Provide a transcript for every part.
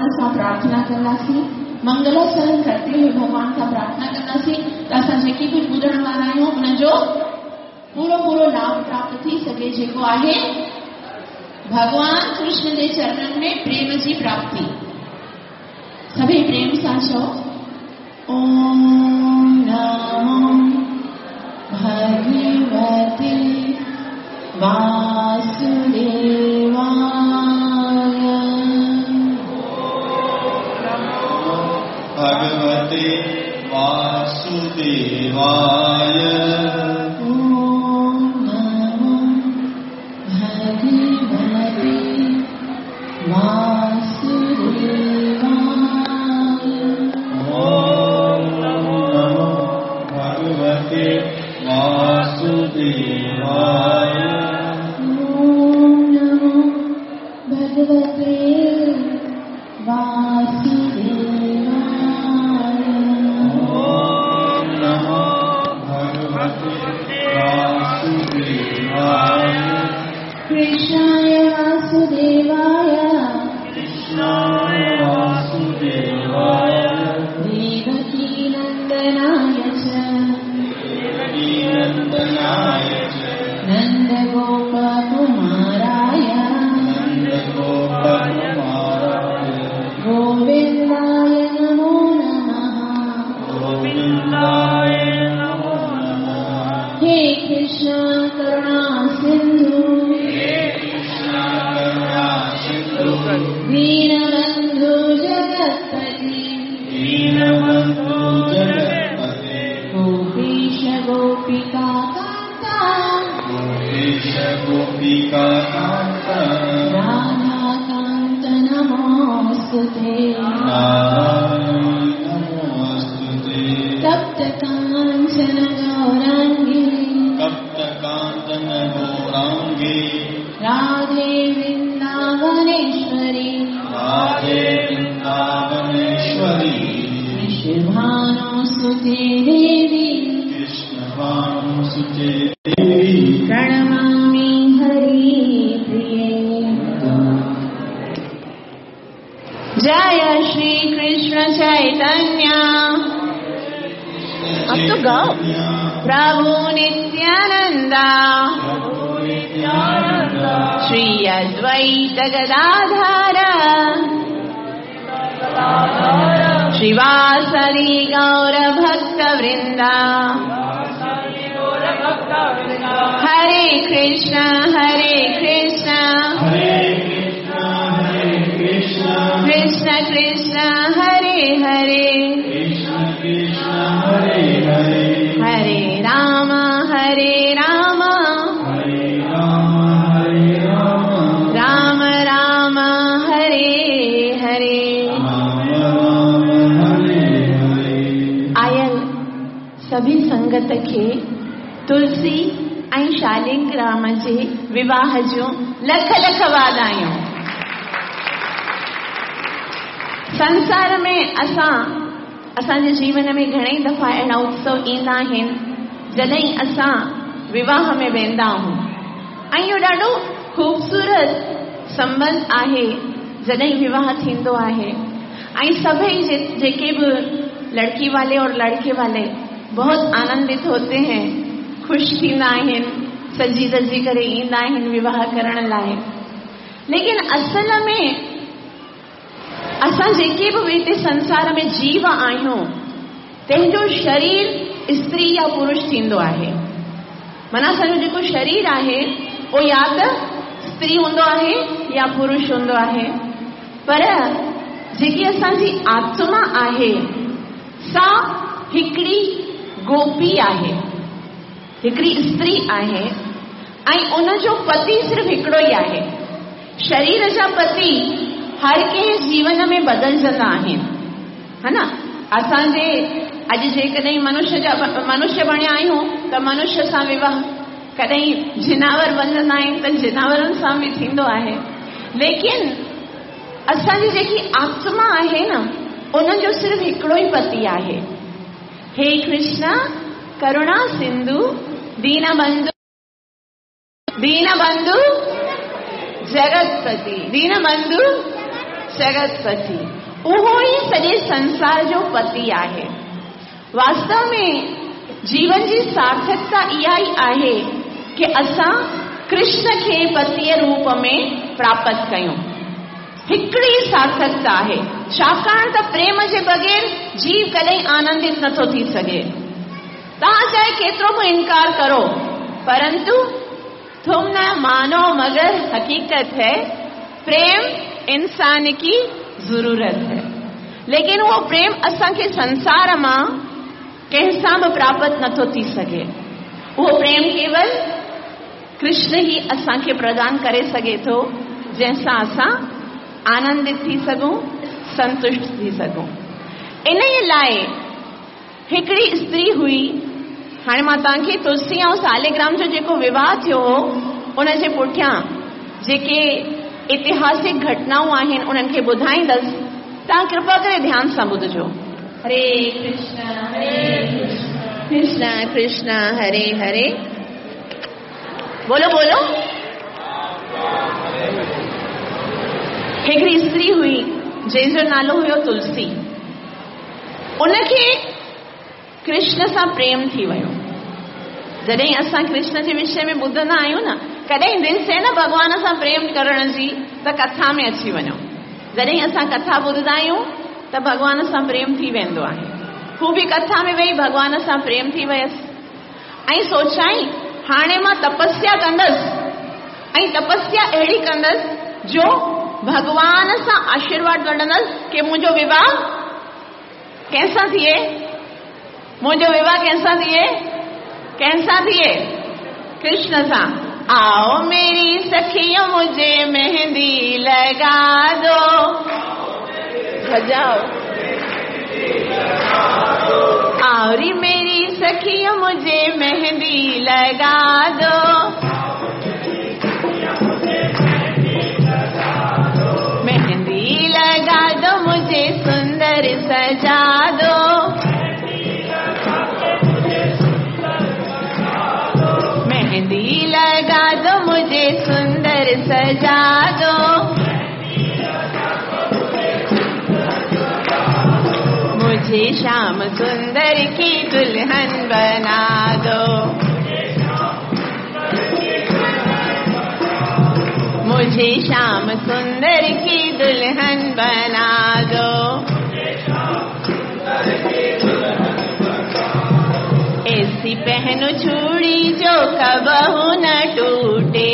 भॻवान सां प्रार्थना कंदासीं, मंगलाचरण करते हुए भॻवान सां प्रार्थना कंदासीं त असां जेकी कुझु ॿुधण वारा आहियूं उनजो पूरो पूरो लाभ प्राप्त थी सघे, जेको आहे भॻवान कृष्ण जे चरणनि में प्रेम जी प्राप्ति। सभई प्रेम सां चओ, ओम नमो भगवते वासुदेवाय। भगवते वासुदेवाय। ओम नमो भगवते वासुदेवाय। ओम नमो भगवते वासुदेवाय। ओम नमो भगवते वासुदेवाय। ओम नमो भगवते वासुदेवाय। कृष्णाय वासुदेवाय। कृष्णाय वासुदेवाय। देवकीनन्दनाय च। देवकीनन्दनाय च। नन्दगोपकुमाराय। नन्दगोपकुमाराय। गोविन्दाय नमो नमः। गोविन्दाय नमो नमः। हे कृष्ण करुणा सिन्धु। हे कृष्ण करुणा सिन्धु। दीनबन्धु जगत्पते। दीनबन्धु जगत्पते। गोपीश गोपिका कान्ता। गोपीश गोपिका कान्ता। राधाकान्त नमोऽस्तुते। नारायण नमोऽस्तुते। तप्त काञ्चन गौराङ्गी। तप्त काञ्चन गौराङ्गी। राधे वृन्दावनेश्वरी। राधे वृन्दावनेश्वरी। वृषभानुसुते देवी। कृष्णभानुसुते देवी। प्रणमामि हरिप्रिये। जय श्री कृष्ण चैतन्य। अब तो गाओ। प्रभु नित्यानंदा। श्री अद्वैत गदाधर। श्रीवासदि गौर भक्त वृंदा। हरे कृष्ण हरे कृष्ण। हरे कृष्ण हरे कृष्ण। कृष्ण कृष्ण हरे हरे। कृष्ण कृष्ण हरे हरे। हरे राम हरे राम। हरे राम हरे राम। राम राम हरे हरे। राम राम हरे हरे। आयल सभी संगत खे तुलसी ऐं शालिग्राम जे विवाह जूं लख लख वाधायूं। संसार में असां असांजे जीवन में घणेई दफ़ा अहिड़ा उत्सव ईंदा आहिनि जॾहिं असां विवाह में वेंदा आहियूं ऐं इहो ॾाढो ख़ूबसूरत संबंध आहे जॾहिं विवाह थींदो आहे ऐं सभई जेके बि लड़की वाले और लड़के वाले बहुत आनंदित होते हैं, ख़ुशि थींदा आहिनि, सजी धजी करे ईंदा आहिनि विवाह करण लाइ। लेकिन असल में असां जेके बि हिते संसार में जीव आहियूं तंहिंजो शरीर स्त्री या पुरुष थींदो आहे। माना असांजो जेको शरीर आहे उहो या त स्त्री हूंदो आहे या पुरुष हूंदो आहे, पर जेकी असांजी आत्मा आहे सा हिकिड़ी गोपी आहे, हिकिड़ी स्त्री आहे ऐं उनजो पति सिर्फ़ हिकिड़ो ई आहे। शरीर जा पति हर कंहिं जीवन में बदिलजंदा आहिनि, हा न। असांजे अॼु जेकॾहिं मनुष्य जा मनुष्य बणिया आहियूं त मनुष्य सां विवाह, कॾहिं जिनावर बणजंदा आहिनि त जिनावरनि सां बि थींदो आहे। लेकिन असांजी जेकी आत्मा आहे न उनजो सिर्फ़ हिकिड़ो ई पति आहे। हे कृष्ण करुणा सिंधु दीनबंधु दीनबंधु जगतपति दीनबंधु जगतपति। उहो ई सॼे संसार जो पति आहे। वास्तव में जीवन जी सार्थकता इहा ई आहे की असां कृष्ण खे पतीअ रूप में प्राप्त कयूं। हिकिड़ी सार्थकता आहे, छाकाणि त प्रेम जे बग़ैर जीव कॾहिं आनंदित नथो थी सघे। तव्हां चाहे केतिरो बि इनकार करो, परंतु तुम न मानो मगर हकीकत है, प्रेम इंसान की ज़रूरत है। लेकिन उहो प्रेम असांखे संसार मां कंहिंसां बि प्राप्त नथो थी सघे। उहो प्रेम केवल कृष्ण ही असांखे प्रदान करे सघे थो, जंहिंसां असां आनंदित थी सघूं, संतुष्ट थी सघूं। इन लाइ हिकिड़ी स्त्री हुई। हाणे मां तव्हांखे तुलसी ऐं सालिग्राम जो जेको विवाह थियो हो उनजे पुठियां जेके ऐतिहासिक घटनाऊं आहिनि उन्हनि खे ॿुधाईंदसि, तव्हां कृपा करे ध्यान सां ॿुधजो। हरे कृष्ण हरे कृष्ण कृष्ण कृष्ण हरे हरे। बोलो बोलो। हिकिड़ी स्त्री हुई जंहिंजो नालो हुयो तुलसी। उनखे कृष्ण सां प्रेम थी वियो। जॾहिं असां कृष्ण जे विषय में ॿुधंदा आहियूं न, कॾहिं दिलि थिए न भॻवान सां प्रेम करण जी, त कथा में अची वञो। जॾहिं असां कथा ॿुधंदा आहियूं त भॻवान सां प्रेम थी वेंदो आहे। हू बि कथा में वेही भॻवान सां प्रेम थी वियसि ऐं सोचाई हाणे मां तपस्या कंदसि ऐं तपस्या अहिड़ी कंदसि जो भॻवान सां आशीर्वाद वठंदसि की मुंहिंजो विवाह कंहिंसां थिए, मुंहिंजो विवाह कंहिंसां थिए, कंहिंसां थिए? कृष्ण सां। आओ मेरी सखियों मुझे मेहंदी लगा दो, बजाओ। आवरी मेरी सखियों मुझे मेहंदी लगा दो, मेहंदी लगा दो मुझे सुंदर सजा दो, मेहंदी लगा दो मुझे सुंदर सजा दो। मुझे श्याम सुंदर की दुल्हन बना दो, मुझे श्याम सुंदर की दुल्हन बना दो। ऐसी पहनो चूड़ी जो कबहू न टूटे,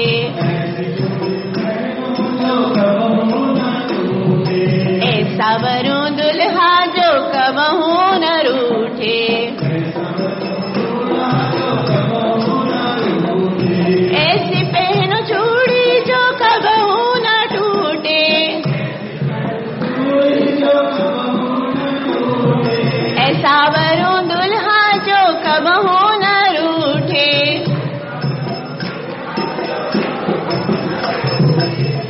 ऐसा वरूं दुल्हा जो कबहू न रूठे, ऐसी पहनो चूड़ी जो कबहू न टूटे, ऐसा वरूं दुल्हा जो कबहू न रूठे।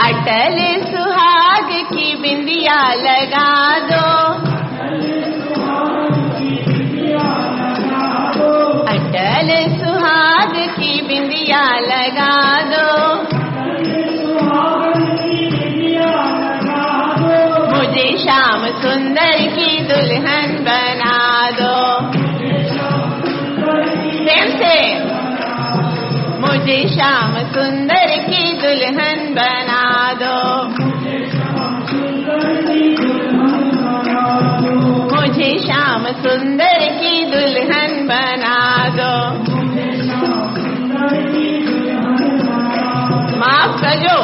अटल सुहाग की बिंदिया लगा दो, अटल सुहाग की बिंदिया लगा दो, मुझे श्याम सुंदर की दुल्हन बना दो। प्रेम से मुझे श्याम सुंदर की दुल्हन बना दो, मुझे श्याम सुंदर की दुल्हन बना दो। माफ़ कजो,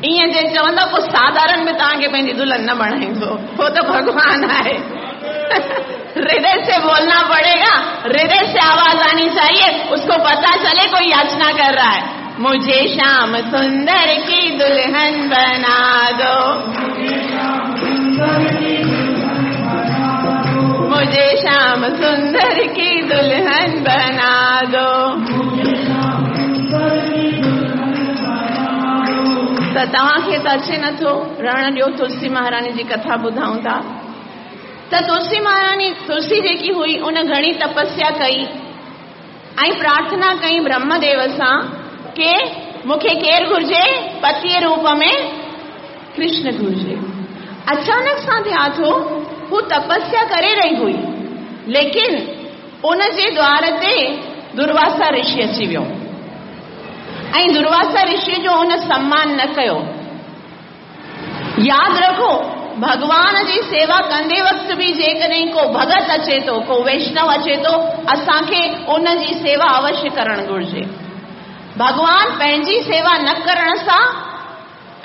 ईअं जे चवंदो पोइ साधारण में तव्हांखे पंहिंजी दुल्हन न बणाईंदो, उहो त भॻवान आहे। हृदय से बोलना पड़ेगा, हृदय से आवाज आनी चाहिए, उसको पता चले कोई याचना कर रहा है। मुझे श्याम सुंदर की दुल्हन बना दो, मुझे श्याम सुंदर की दुल्हन बना दो। त तव्हांखे त अचे नथो रहण ॾियो, तुलसी महारानी जी कथा ॿुधाऊं था। त तुलसी महारानी, तुलसी जेकी हुई उन घणी तपस्या कई ऐं प्रार्थना कई ब्रह्मदेव सां की मूंखे केरु घुर्जे? पतीअ रूप में कृष्ण घुर्जे। اچانڪ سان ٿيا ٿو، هو تپسيا ڪري رهي هئي، ليڪن ان جي دوار تي درواسا رشي اچي ويو ۽ درواسا رشي جو ان سمان نه ڪيو. ياد رکو، ڀڳوان جي سيوا ڪندي وقت به جيڪڏهن ڪو ڀڳت اچي ٿو، ڪو ويشنو اچي ٿو، اسان کي ان جي سيوا اوشيه ڪرڻ گهرجي. ڀڳوان پنهنجي سيوا نه ڪرڻ سان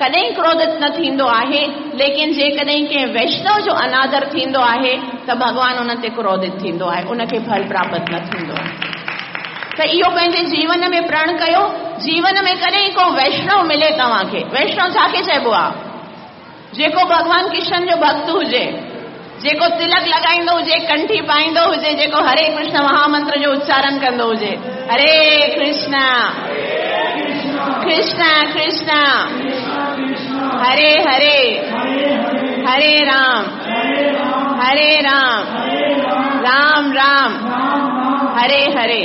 ڪڏهن ڪروڌت نه ٿيندو آهي، ليڪن جيڪڏهن ڪنهن ويشنو جو انادر ٿيندو آهي ته ڀڳوان ان تي ڪروڌت ٿيندو آهي، ان کي ڦل پراپت نه ٿيندو آهي. ته اهو پنهنجي جيون ۾ پرڻ ڪيو، جيون ۾ ڪڏهن ڪو ويشنو ملي توهان کي، ويشنو ڇا کي چئبو آهي؟ جيڪو ڀڳوان ڪشن جو ڀڳت هجي، جيڪو تلڪ لڳائيندو هجي، ڪنٺي پائيندو هجي، جيڪو هري ڪرشن مهامنتر جو اچارن ڪندو هجي، هري ڪرشن ڪرشن ڪرشن هري هري، هري رام هري رام رام رام هري هري.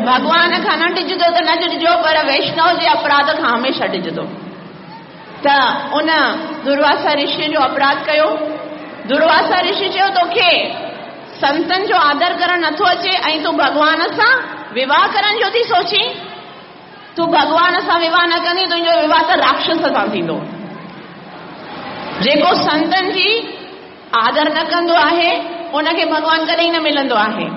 ڀڳوان کان نه ڊڄندو ته نه ڊڄجو، پر ويشنو جي اپراڌ کان هميشه ڊڄندو. ته ان درواسا رشيء جو اپراڌ ڪيو. درواسا رشي چيو، توکي سنتن جو آدر ڪرڻ نٿو اچي ۽ تون ڀڳوان سان وواهه ڪرڻ جو ٿي سوچين؟ تون ڀڳوان سان وواهه نه ڪندين، تنهنجو وواهه ته راڪشس سان ٿيندو. جيڪو سنتن جي آدر نه ڪندو آهي، ان کي ڀڳوان ڪڏهن نه ملندو آهي.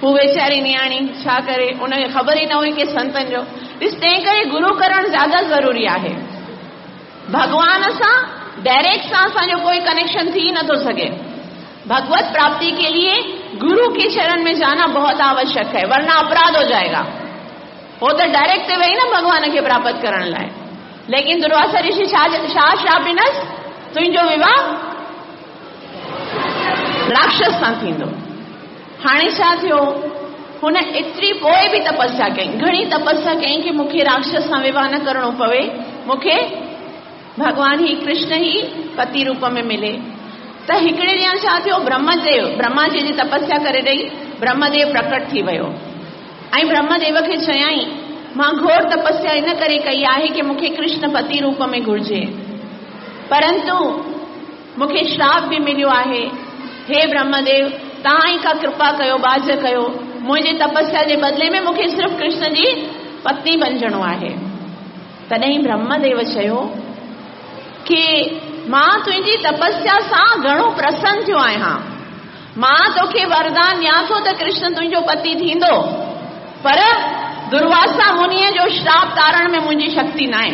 هو ويچاري نياڻي ڇا ڪري، ان کي خبر ئي نه هئي ڪي سنتن جو. ڏس، تنهن ڪري گرو ڪرڻ زياده ضروري آهي. ڀڳوان سان ڊائريڪٽ سان اسان جو ڪوئي ڪنيڪشن ٿي ئي نٿو سگهي. ڀڳوت پراپتي ڪي ليي گرو ڪي چرن ۾ جانا بهت آوشيڪ هي، ورنه اپراڌ هو جائي گا. هو ته ڊائريڪٽ تي وئي نه ڀڳوان کي پراپت ڪرڻ لاء. ليڪن درواسا رشي ڇا ڇا شراپ ڏنس؟ تنهنجو وواهه راڪشس سان ٿيندو. هاڻي ڇا ٿيو؟ هن ايتري پوء به تپسيا ڪئي، گهڻي تپسيا ڪيائين ڪي مون کي راڪشس سان وواهه نه ڪرڻو پوي، مون کي ڀڳوان هي ڪرشن ئي پتي روپ ۾ ملي. ته هڪڙي ڏينهن ڇا ٿيو، برهمديو، برهما جي جي تپسيا ڪري رهي، برهمديو پرڪٽ ٿي ويو ۽ برهمديو کي چيائين، مان گهور تپسيا ان ڪري ڪئي آهي ڪي مون کي ڪرشن پتي روپ ۾ گهرجي، پرنتو مون کي شراپ به مليو آهي. هي برهمديو! توهان ئي ڪا ڪرپا ڪيو، ٻاجهه ڪيو. منهنجي تپسيا جي بدلي ۾ مون کي صرف ڪرشن جي پتني بنجڻو آهي. تڏهن برهمديو چيو ڪي مان تنهنجي تپسيا سان گهڻو پرسن ٿيو آهيان. مان توکي وردان ڏيان ٿو ته ڪرشن تنهنجو پتي ٿيندو. پر درواسا منيء جو شراپ تارڻ ۾ منهنجي شڪتي ناهي.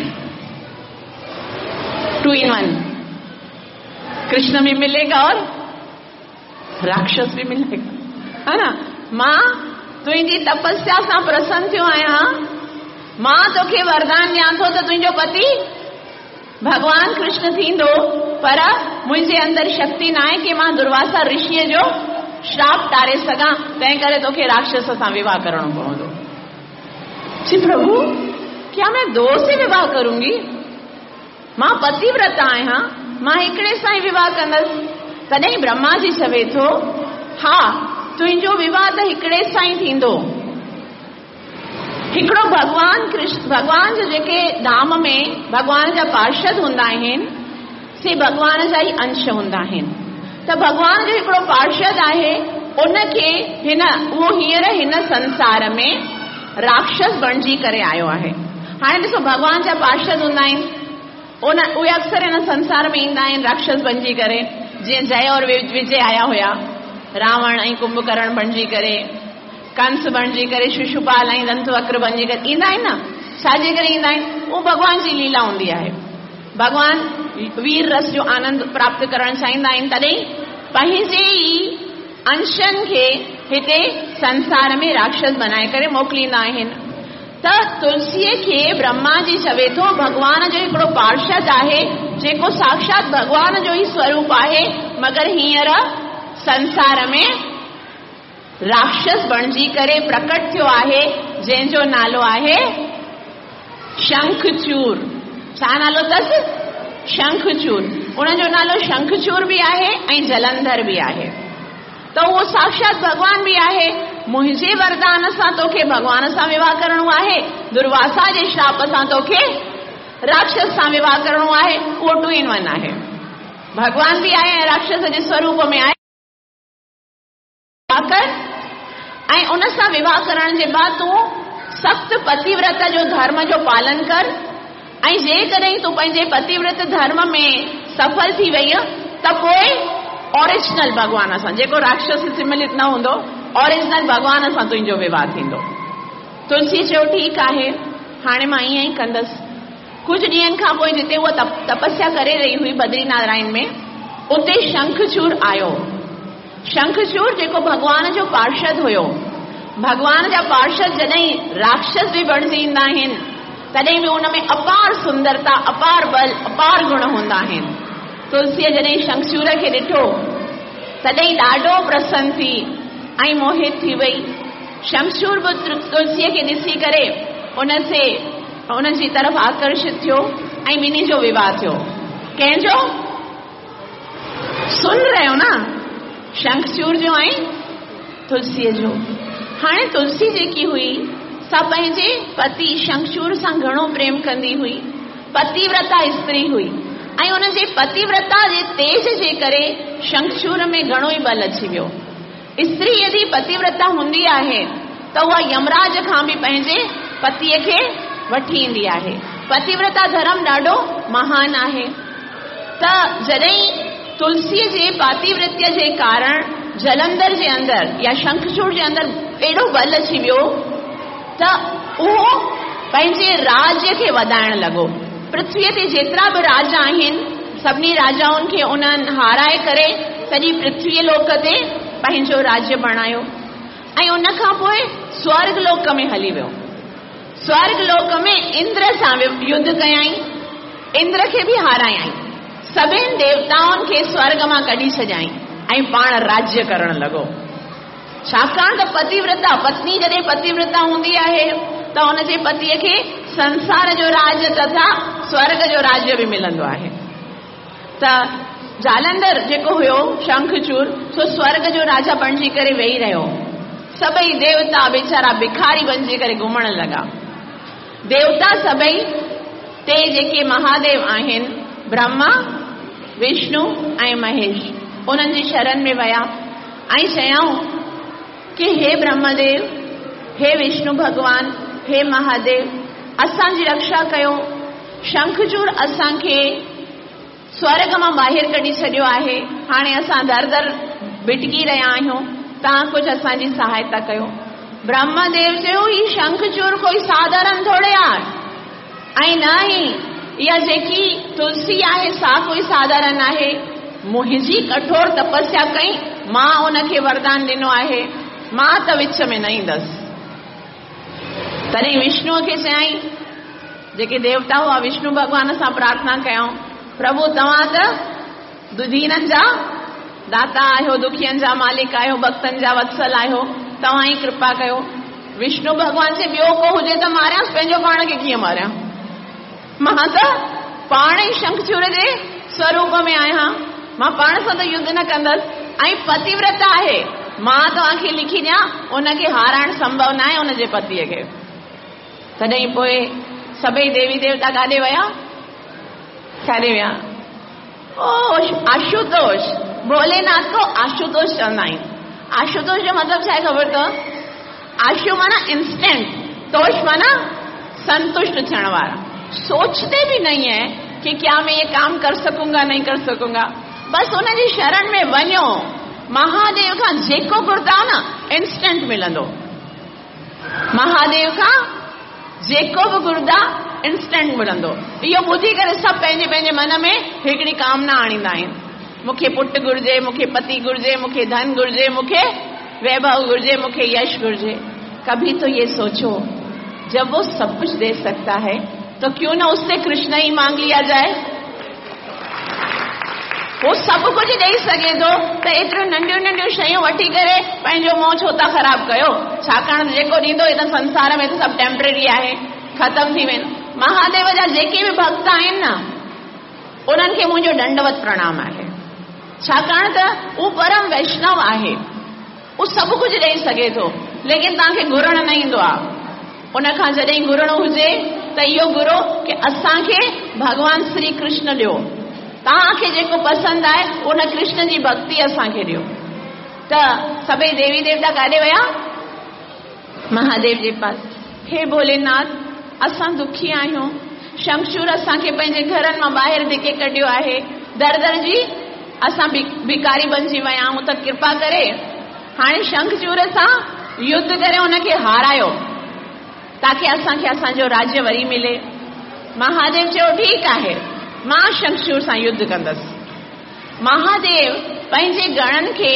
ٽو ان ون، ڪرشن به ملي گا اور راڪشس به ملي گا، ها نه؟ مان تنهنجي تپسيا سان پرسن ٿيو آهيان، مان توکي وردان ڏيان ٿو ته تنهنجو پتي ڀڳوان ڪرشن ٿيندو، پر منهنجي اندر شڪتي ناهي ڪي مان درواسا رشيء جو شراپ ٽاري سگهان، تنهن ڪري توکي راڪشس سان وواهه ڪرڻو پوندو. چي پرڀو ڪيا مين دو سي وواهه ڪرونگي؟ مان پتيورتا آهيان، مان هڪڙي سان ئي وواهه ڪندس. تڏهن برهما جي چوي ٿو، ها، تنهنجو وواهه ته هڪڙي سان ئي ٿيندو. هڪڙو ڀڳوان ڪرشن، ڀڳوان جا جيڪي ڌام ۾ ڀڳوان جا پارشد هوندا آهن، سي ڀڳوان جا ئي انش هوندا آهن. ته ڀڳوان جو هڪڙو پارشد آهي، ان کي هن، اهو هينئر هن سنسار ۾ راڪشس بڻجي ڪري آيو آهي. هاڻي ڏسو ڀڳوان جا پارشد هوندا آهن، ان، اهي اڪثر هن سنسار ۾ ايندا آهن راڪشس بڻجي ڪري، جيئن جئه اور وجي آيا هيا، راوڻ ۽ ڪنڀڪرڻ بڻجي ڪري، ڪنس بڻجي ڪري، ششوپال ۽ دنت وڪر بڻجي ڪري ايندا آهن نه، ڇا جي ڪري ايندا آهن؟ اهو ڀڳوان جي ليلا هوندي آهي. ڀڳوان وير رس جو آنند پراپت ڪرڻ چاهيندا آهن، تڏهن پنهنجي ئي انشن کي هتي سنسار ۾ راڪشس بنائي ڪري موڪليندا آهن. ته تلسيء کي برهما جي چوي ٿو، ڀڳوان جو هڪڙو پارشد آهي، جيڪو ساکشات ڀڳوان جو ئي سوروپ آهي، مگر هينئر سنسار ۾ راڪشس بڻجي ڪري پرڪٽ ٿيو آهي، جنهن جو نالو آهي شنکچور. ڇا نالو اٿس؟ شنکچور. ان جو نالو شنکچور به آهي ۽ جلنڌر به آهي. ته اهو ساکشات ڀڳوان به آهي. منهنجي وردان سان توکي ڀڳوان سان وواهه ڪرڻو آهي، درواسا جي شراپ سان توکي راڪشس سان وواهه ڪرڻو آهي، اهو ٽو ان ون آهي. भॻवान बि आहे ऐं राक्षस जे स्वरूप में आहे। कर ऐं उन सां विवाह करण जे बाद तूं सख़्तु पतिव्रत जो धर्म जो पालन कर ऐं जेकॾहिं तूं पंहिंजे पतिव्रत धर्म में सफल थी वई त पोइ ओरिजिनल भॻवान सां, जेको राक्षस सम्मिलित न हूंदो, ओरिजिनल भॻवान सां तुंहिंजो विवाह थींदो। तुलसी चयो ठीकु आहे, हाणे मां ईअं ई कंदसि। कुझु ॾींहंनि खां पोइ जिते उहा तपस्या करे रही हुई बद्री नारायण में, उते शंखचूर आयो। शंखचूर जेको भॻवान जो पार्षद हुयो, भॻवान जा पार्षद जॾहिं राक्षस बि बणिजी ईंदा आहिनि तॾहिं बि उन में अपार सुंदरता, अपार बल, अपार गुण हूंदा आहिनि। तुलसीअ जॾहिं शंखचूर खे ॾिठो तॾहिं ॾाढो प्रसन्न थी ऐं मोहित थी वई। शंखचूर बि तुलसीअ खे ॾिसी करे उन जी तरफ़ आकर्षित थियो ऐं ॿिन्ही जो विवाह थियो। कंहिंजो? सुन रहे हो ना, शंखचूर जो ऐं तुलसीअ जो। हाणे तुलसी जेकी हुई सा पंहिंजे पति शंखचूर सां घणो प्रेम कंदी हुई, पतिव्रता स्त्री हुई ऐं उनजे पतिव्रता जे तेज जे करे शंखचूर में घणो ई बल अची वियो। स्त्री यदि पतिव्रता हूंदी आहे त उहा यमराज खां बि पंहिंजे पतीअ खे वठी ईंदी आहे। पतिव्रता धर्म ॾाढो महान आहे। त जॾहिं तुलसीअ जे पातिव्रत्य जे कारण जलंधर जे अंदरि या शंखचूर जे अंदरि एॾो बल अची वियो त उहो पंहिंजे राज्य खे वधाइण लॻो। पृथ्वीअ ते जेतिरा बि राजा आहिनि सभिनी राजाउनि खे उन्हनि हाराए करे सॼी पृथ्वीअ लोक ते पंहिंजो राज्य बणायो ऐं उन खां पोइ स्वर्ग लोक में हली वियो। स्वर्ग लोक में इंद्र सां युद्ध कयाई, इंद्र खे बि हारायाई, सभिनी देवताउनि खे स्वर्ग मां कढी छॾियाई ऐं पाण राज्य करण लॻो। छाकाणि त पतिव्रता पत्नी जॾहिं पतिव्रता हूंदी आहे त हुनजे पतीअ खे संसार जो राज तथा स्वर्ग जो राज्य बि मिलंदो आहे। त जालंधर जेको हुयो शंखचूर, सो स्वर्ग जो राजा बणिजी करे वेही रहियो। सभई देवता वीचारा भिखारी बणिजी करे घुमण लॻा। देवता सभई ते जेके महादेव आहिनि, ब्रह्मा, विष्णु ऐं महेश, उन्हनि जी शरण में विया ऐं चयाऊं कि हे ब्रह्मदेव, हे विष्णु भॻवान, हे महादेव, असांजी रक्षा कयो। शंखचूर असांखे स्वर्ग मां ॿाहिरि कढी छॾियो आहे, हाणे असां दर दर भिटकी रहिया आहियूं, तव्हां कुझु असांजी सहायता कयो। ब्रह्मदेव चयो ही शंखचूर कोई साधारण थोरे आहे ऐं न ई इहा जेकी तुलसी आहे सा कोई साधारण आहे। मुंहिंजी कठोर तपस्या कई, मां उनखे वरदान ॾिनो आहे, मां त विच में न ईंदसि। तॾहिं विष्णुअ खे चयाई, जेके देवता हुआ विष्णु भॻवान सां प्रार्थना कयऊं, प्रभु तव्हां त दीननि जा दाता आहियो, दुखियनि जा मालिक आहियो, भक्तनि जा वत्सल आहियो, तव्हां ई कृपा कयो। विष्णु भॻवान चए ॿियो को हुजे त मारियांसि, पंहिंजो पाण खे कीअं मारियां? मां त पाण ई शंखचूर जे स्वरूप में आहियां, मां पाण सां त युद्ध न कंदसि ऐं पतिव्रत आहे, मां तव्हांखे लिखी ॾियां, उनखे हाराइण संभव न आहे उनजे पतीअ खे। तॾहिं पोइ सभई देवी देवता काॾे विया? काॾे विया? ओ आशुतोष, भोलेनाथ को आशुतोष चवंदा आहिनि। आशुतोष जो मतिलबु छा आहे ख़बर अथव? आशु माना इंस्टेंट, तोष माना संतुष्ट थियण वारा। सोचते भी नहीं है कि क्या मैं ये काम कर सकूंगा नहीं कर सकूंगा, बस उनजी शरण में वञो, महादेव खां जेको घुरंदा न इंस्टेंट मिलंदो। महादेव खां जेको बि घुरंदा इंस्टेंट मिलंदो। इहो ॿुधी करे सभु पंहिंजे पंहिंजे मन में हिकिड़ी कामना आणींदा आहिनि, मूंखे पुट घुर्जे, मूंखे पति घुर्जे, मूंखे धन घुर्जे, मूंखे वैभव घुर्जे, मूंखे यश घुर्जे। कभी तो ये सोचो, जब वो सब कुछ दे सकता है तो क्यों ना उससे कृष्ण ही मांग लिया जाए। वो सभु कुझु ॾेई सघे थो त एतिरियूं नंढियूं नंढियूं शयूं वठी करे पंहिंजो मुंहुं छो था ख़राबु कयो? छाकाणि जेको ॾींदो त संसार में त सभु टेम्परेरी आहे, ख़तमु थी वेंदो। महादेव जा जेके बि भक्त आहिनि न, उन्हनि खे मुंहिंजो दंडवत प्रणाम आहे, छाकाणि त उहो परम वैष्णव आहे, उहो सभु कुझु ॾेई सघे थो, लेकिन तव्हांखे घुरणु न ईंदो आहे। उन खां जॾहिं घुरणो हुजे त इहो घुरो की असांखे भॻवान श्री कृष्ण ॾियो। तव्हांखे जेको पसंदि आहे उन कृष्ण जी भक्ति असांखे ॾियो। त सभई देवी देवता काॾे विया? महादेव जे पास। हे भोलेनाथ, असां दुखी आहियूं, शंखचूर असांखे पंहिंजे घरनि मां ॿाहिरि धिके कढियो आहे, दर दर जी असां भिकारी बणिजी विया आहियूं, त कृपा करे हाणे शंखचूर सां युद्ध करे हुनखे हारायो ताकी असांखे असांजो राज्य वरी मिले। महादेव चयो ठीकु आहे, मां शंखचूर सां युद्ध कंदसि। महादेव पंहिंजे गणनि खे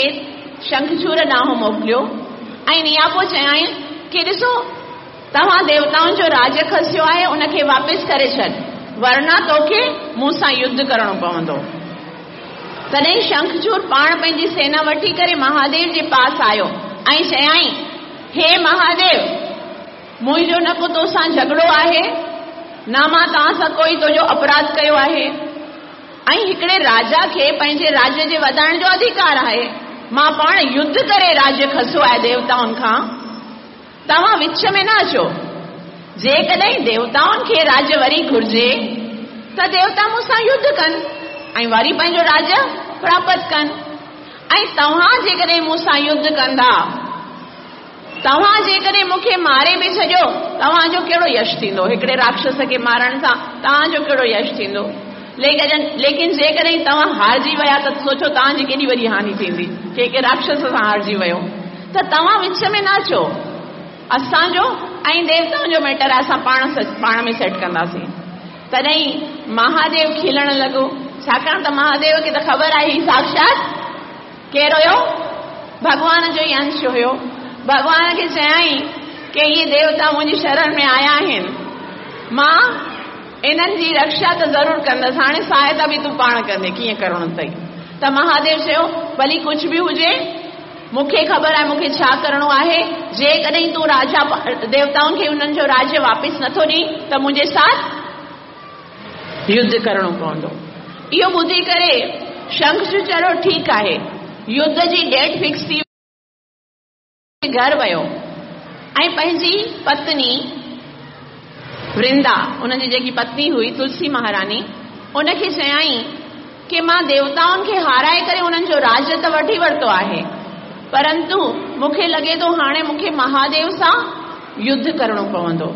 शंखचूर ॾांहुं मोकिलियो ऐं नियापो चयाईं की ॾिसो तव्हां देवताउनि जो राज्य खसियो आहे, उनखे वापसि करे छॾ, वरना तोखे मूं सां युद्ध करणो पवंदो। तॾहिं शंखचूर पाण पंहिंजी सेना वठी करे महादेव जे पास आयो ऐं चयाईं, हे महादेव, मुंहिंजो न को तोसां झगड़ो आहे, न मां तव्हां सां कोई तुंहिंजो अपराध कयो आहे, ऐं हिकिड़े राजा खे पंहिंजे राज्य जे वधाइण जो अधिकार आहे। मां पाण युद्ध करे राज्य खसियो आहे देवताउनि खां, तव्हां विच में न अचो। जेकॾहिं देवताउनि खे राज्य वरी घुर्जे त देवता मूंसां युद्ध कनि ऐं वरी पंहिंजो राज्य प्राप्त कनि, ऐं तव्हां जेकॾहिं मूंसां युद्ध कंदा, तव्हां जेकॾहिं मूंखे मारे बि छॾियो, तव्हांजो कहिड़ो यश थींदो? हिकिड़े राक्षस खे मारण सां तव्हांजो कहिड़ो यश थींदो? लेकिन जेकॾहिं तव्हां हारजी विया त सोचो तव्हांजी केॾी वॾी हानि थींदी, की राक्षस सां हारजी वियो। त तव्हां विच में न अचो, असांजो ऐं देवताउनि जो मैटर आहे, असां पाण में सेट कंदासीं। तॾहिं महादेव खिलण लॻो, छाकाणि त महादेव खे त ख़बर आहे हीउ साक्षात केरु हुयो? भॻवान जो ई अंश हुयो। भॻवान खे चयाईं की इहे देवता मुंहिंजी शरण में आया आहिनि, मां इन्हनि जी रक्षा त ज़रूरु कंदसि, हाणे सहायता बि तूं पाण कंदे, कीअं करिणो अथई? त महादेव चयो, भली कुझु बि हुजे, मूंखे ख़बर आहे मूंखे छा करिणो आहे। जेकॾहिं तूं राजा देवताउनि खे उन्हनि जो राज्य वापसि नथो ॾीं त मुंहिंजे साथ युद्ध करिणो पवंदो। इहो ॿुधी करे शंखचूर चयो ठीकु आहे। युद्ध जी डेट फिक्स थी, घर वियो ऐं पंहिंजी पत्नी वृंदा, उनजी जेकी पत्नी हुई तुलसी महारानी, उनखे चयाईं की मां देवताउनि खे हाराए करे उन्हनि जो राज्य त वठी वरितो आहे, परंतु मूंखे लॻे थो हाणे मूंखे महादेव सां युद्ध करिणो पवंदो,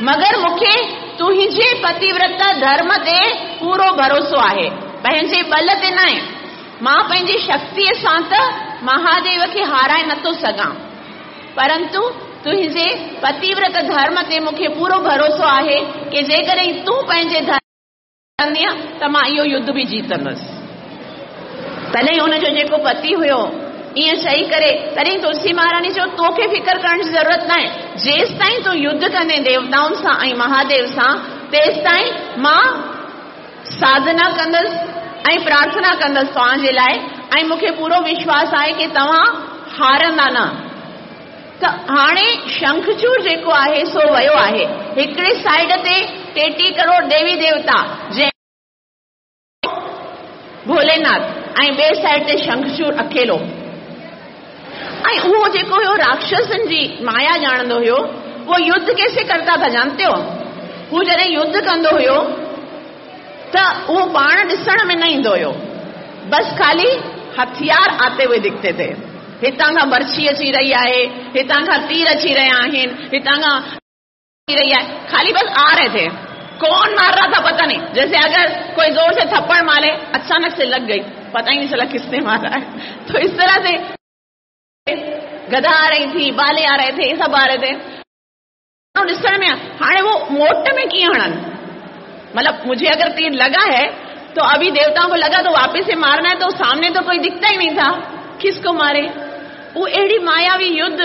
मगर मूंखे तुंहिंजे पतिव्रत धर्म ते पूरो भरोसो आहे, पंहिंजे बल ते न आहे। मां पंहिंजी शक्तीअ सां त महादेव खे हाराए नथो सघां, परंतु तुंहिंजे पतिव्रत धर्म ते मूंखे पूरो भरोसो आहे की जेकॾहिं तूं पंहिंजे धर्म कंदीअ त मां इहो युद्ध बि जीतंदसि। तॾहिं हुनजो जेको पति हुयो ईअं चई करे, तॾहिं तुलसी महारानी चयो तोखे फ़िक्र करण जी ज़रूरत न आहे, जेसि ताईं तूं युद्ध कंदे देवताउनि सां ऐं महादेव सां, तेसि ताईं मां साधना कंदसि ऐं प्रार्थना कंदसि तव्हांजे लाइ, ऐं मूंखे पूरो विश्वास आहे की तव्हां हारंदा न। त हाणे शंखचूर जेको आहे सो वियो आहे। हिकिड़े साइड ते 33 करोड़ देवी देवता जंहिं भोलेनाथ, ऐं ॿिए साइड ते शंखचूर अकेलो। ऐं उहो जेको हुयो राक्षसनि जी माया ॼाणंदो हुयो, उहो युद्ध कैसे करता था जानते हो? हू जॾहिं युद्ध कंदो हुयो त उहो पाण ॾिसण में न ईंदो हुयो, बसि ख़ाली हथियार आते हुए दिखते थे। हितां खां बर्छी अची रही आहे, हितां खां तीर अची रहिया आहिनि, हितां खां रही आहे, खाली बस आ रहे थे। कौन मार रहा था पता नहीं, जैसे अगर कोई जोर से थप्पड़ मारे, अचानक से लग गई, पता ही नहीं चला किसने मारा है। तो इस तरह से गधा आ रही थी, बाले आ रहे थे, सब आ रहे थे। ॾिसण में हाणे वो मोट में कीअं हणनि, मतलब मुझे अगर तीर लगा है तो अभी देवताओं को लगा तो वापस से मारना है, तो सामने तो कोई दिखता ही नहीं था, किसको मारे? वो अहिड़ी मायावी युद्ध,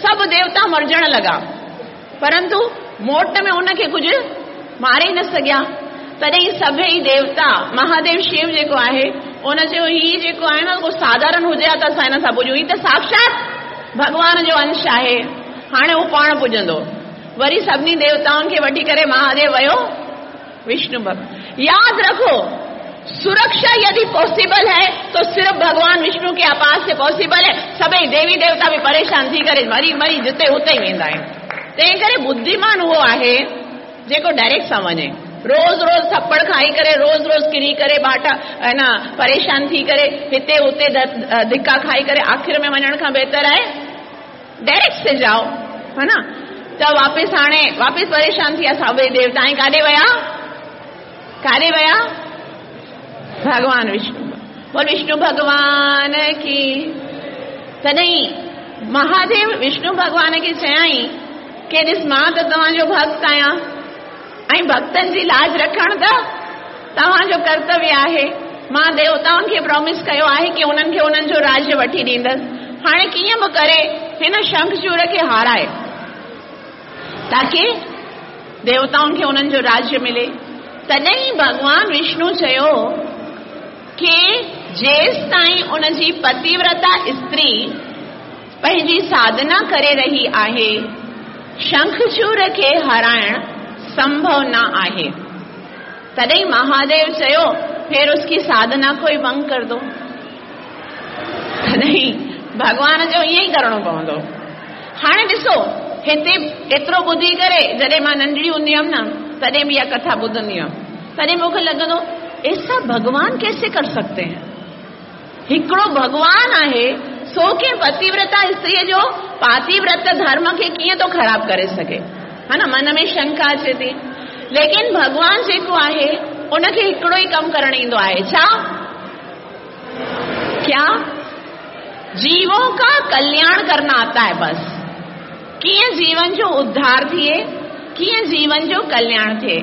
सब देवता मरजण लॻा, परंतु मोट में उनखे कुझु मारे ई न सघिया। तॾहिं सभई देवता, महादेव शिव जेको आहे उन चयो हीउ जेको आहे न को साधारण हुजे हा त असां हिन सां पुॼूं, हीउ त साक्षात भॻवान जो अंश आहे, हाणे उहो पाण पुॼंदो। वरी सभिनी देवताउनि खे वठी करे महादेव वियो विष्णु भक्त। याद रखो, सुरक्षा यदि पॉसिबल है तो सिर्फ भगवान विष्णु के आपास से पॉसिबल है। सभई देवी देवता बि परेशान थी करे मरी मरी जिते उते ई वेंदा आहिनि। तंहिं करे बुद्धिमान उहो आहे जेको डायरेक्ट सां वञे। रोज़ रोज़ थप्पड़ खाई करे, रोज़ रोज़ किरी करे, बाटा है न परेशान थी करे, हिते हुते धिक्का खाई करे, आख़िर में वञण खां बहितर आहे डायरेक्ट से जाओ, है ना। त वापसि हाणे वापसि परेशान थी विया सभई देवता, ऐं काॾे विया? काॾे विया? भॻवान विष्णु। बोल विष्णु भॻवान की। तॾहिं महादेव विष्णु भॻवान खे चयाईं की ॾिस, मां त तव्हांजो भक्त आहियां ऐं भक्तनि जी लाज रखणु त तव्हांजो कर्तव्य आहे। मां देवताउनि खे प्रॉमिस कयो आहे की उन्हनि खे उन्हनि जो राज्य वठी ॾींदसि। हाणे कीअं बि करे हिन शंखचूर खे हाराए ताकी देवताउनि खे उन्हनि जो राज्य मिले। तॾहिं भॻवान विष्णु चयो की जेसि ताईं उनजी पतिव्रता स्त्री पंहिंजी साधना करे रही आहे, शंखचूर खे हराइण संभव न आहे। तॾहिं महादेव चयो फिर उसकी साधना को ही भंग कर दो। तॾहिं भॻवान जो ईअं ई करिणो पवंदो। हाणे ॾिसो हिते एतिरो ॿुधी करे, जॾहिं मां नंढड़ी हूंदी हुयमि न, तॾहिं बि इहा कथा ॿुधंदी हुयमि, तॾहिं मूंखे लॻंदो ऐसा भगवान कैसे कर सकते हैं। हिकिड़ो भॻवान आहे सो कंहिं पतिव्रता स्त्रीअ जो पातिव्रत धर्म खे कीअं थो ख़राब करे सघे, हा न, मन में शंका अचे थी। लेकिन भॻवान जेको आहे उनखे हिकिड़ो ई कमु करणु ईंदो आहे, छा? क्या? जीवों का कल्याण करना आता है बस। कीअं जीवन जो उद्धार थिए, कीअं जीवन जो कल्याण थिए,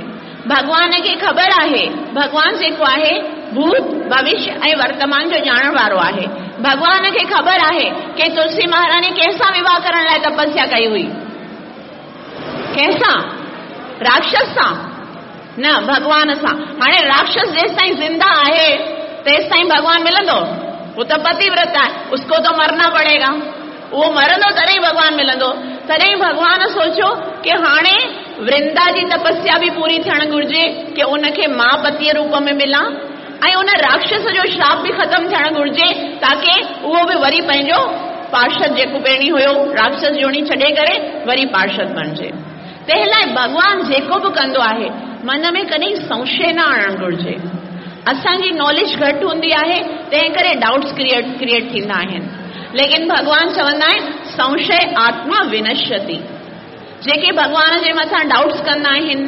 भॻवान खे ख़बर आहे। भॻवान जेको आहे भूत भविष्य ऐं वर्तमान जो ॼाणण वारो आहे। भॻवान खे ख़बर आहे की तुलसी महारानी कंहिंसां विवाह करण लाइ तपस्या कई हुई? कंहिंसां? राक्षस सां? न, भॻवान सां। हाणे राक्षस जेसि ताईं ज़िंदा आहे तेसि ताईं भॻवान मिलंदो? उहो त पतिव्रत आहे, उसको तो मरना पड़ेगा। उहो मरंदो तॾहिं भॻवान मिलंदो। तॾहिं भॻवान सोचियो की हाणे वृंदा जी तपस्या बि पूरी थियणु घुरिजे की उनखे मां पतीअ रूप में मिलां ऐं उन राक्षस जो श्राप बि ख़तमु थियणु घुरिजे ताकी उहो बि वरी पंहिंजो पार्षद जेको पहिरीं हुयो राक्षस जोणी छॾे करे वरी पार्षद बणिजे। तंहिं लाइ भॻवान जेको बि कंदो आहे मन में कॾहिं संशय न आणणु घुरिजे। असांजी नॉलेज घटि हूंदी आहे तंहिं करे डाउट्स क्रिएट थींदा आहिनि। लेकिन भॻवान चवंदा आहिनि संशय आत्मा विनश्यति। जेके भॻवान जे मथां डाउट्स कंदा आहिनि,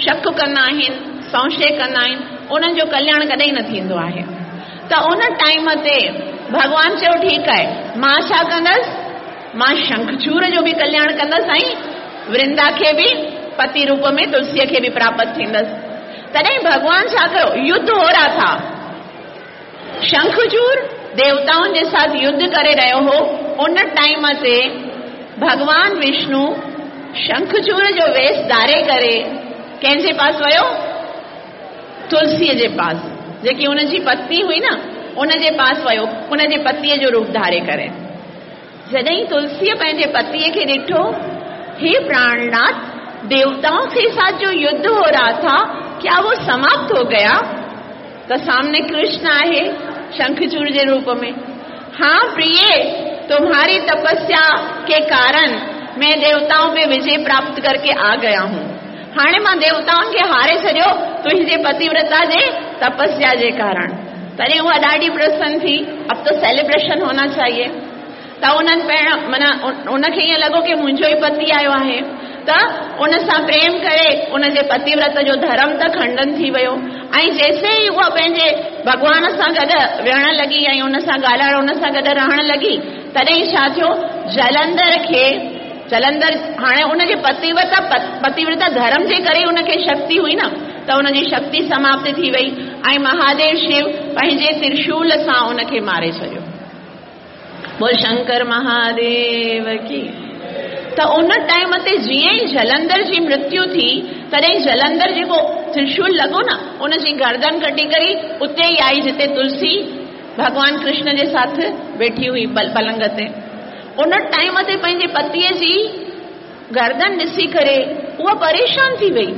शक कंदा आहिनि, संशय कंदा आहिनि, उन्हनि जो कल्याण कॾहिं न थींदो आहे। त उन टाइम ते भॻवान चयो ठीकु आहे, मां छा कंदसि, मां शंखचूर जो बि कल्याण कंदसि ऐं वृंदा खे बि पति रूप में तुलसीअ खे बि प्राप्त थींदसि। तॾहिं भॻवान छा कयो, युद्ध हो रहा था, शंखचूर देवताउनि जे साथ युद्ध करे रहियो हो। उन टाइम ते भॻवान विष्णु शंखचूर जो वेश धारे करे कंहिंजे पास वियो? तुलसीअ जे पास, जेकी उनजी पत्नी हुई न, उनजे पास वियो, उनजे पतीअ जो रूप धारे करे। जॾहिं तुलसीअ पंहिंजे पतीअ खे ॾिठो, हे प्राणनाथ, देवताओं के साथ जो युद्ध हो रहा था क्या वो समाप्त हो गया? त सामने कृष्ण आहे शंखचूर जे रूप में। हाँ प्रिय, तुम्हारी तपस्या के कारण मैं देवताओं पे विजय प्राप्त करके आ गया हूँ। हाणे मां देवताउनि खे हारे छॾियो तुंहिंजे पतिव्रता जे तपस्या जे कारण। तॾहिं उहा ॾाढी प्रसन्न थी, अब तो सेलिब्रेशन होना चाहिए। त उन्हनि पहिरियां माना उनखे ईअं लॻो की मुंहिंजो ई पति आयो आहे, त उन सां प्रेम करे उनजे पतिव्रत जो धर्म त खंडन थी वियो। ऐं जैसे ई उहा पंहिंजे भॻवान सां गॾु विहण लॻी ऐं उन सां ॻाल्हाइण, उन सां गॾु रहण लॻी, तॾहिं छा थियो, जलंधर खे, जलंधर हाणे उनजे पतिव्रता धर्म जे करे उनखे शक्ति हुई न, त उनजी शक्ति समाप्त थी वई ऐं महादेव शिव पंहिंजे त्रिशूल सां उनखे मारे छॾियो। बोल शंकर महादेव की। त उन टाइम ते जीअं ई जलंधर जी मृत्यु थी, तॾहिं जलंधर जेको त्रिशूल लॻो न, उनजी गर्दन कटी करे उते ई आई जिते तुलसी भॻवान कृष्ण जे साथ वेठी हुई पलंग ते। उन टाइम ते पंहिंजे पतीअ जी गर्दन ॾिसी करे उहा परेशान थी वई